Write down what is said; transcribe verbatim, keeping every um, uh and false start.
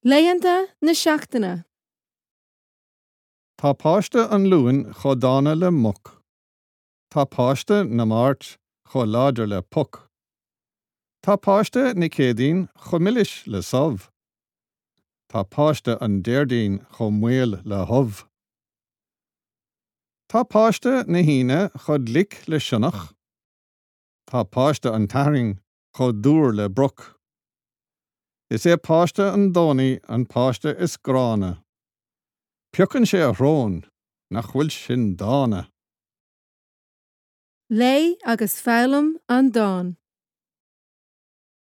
Laethanta na seachtaine. Tá páiste an Luain chomh dána le muc. Tá páiste na Máirt chomh láidir le poc. Tá páiste na Céadaoin chomh milis le subh. Tá páiste an Déardaoin chomh maol le hubh. Tá páiste na hAoine chomh glic le sionnach. Tá páiste an tSathairn chomh dúr le broc. Is é páiste an Domhnaigh an páiste is gránna. Piocann sé a shrón nach bhfuil sin dána. Léigh agus foghlaim an dán.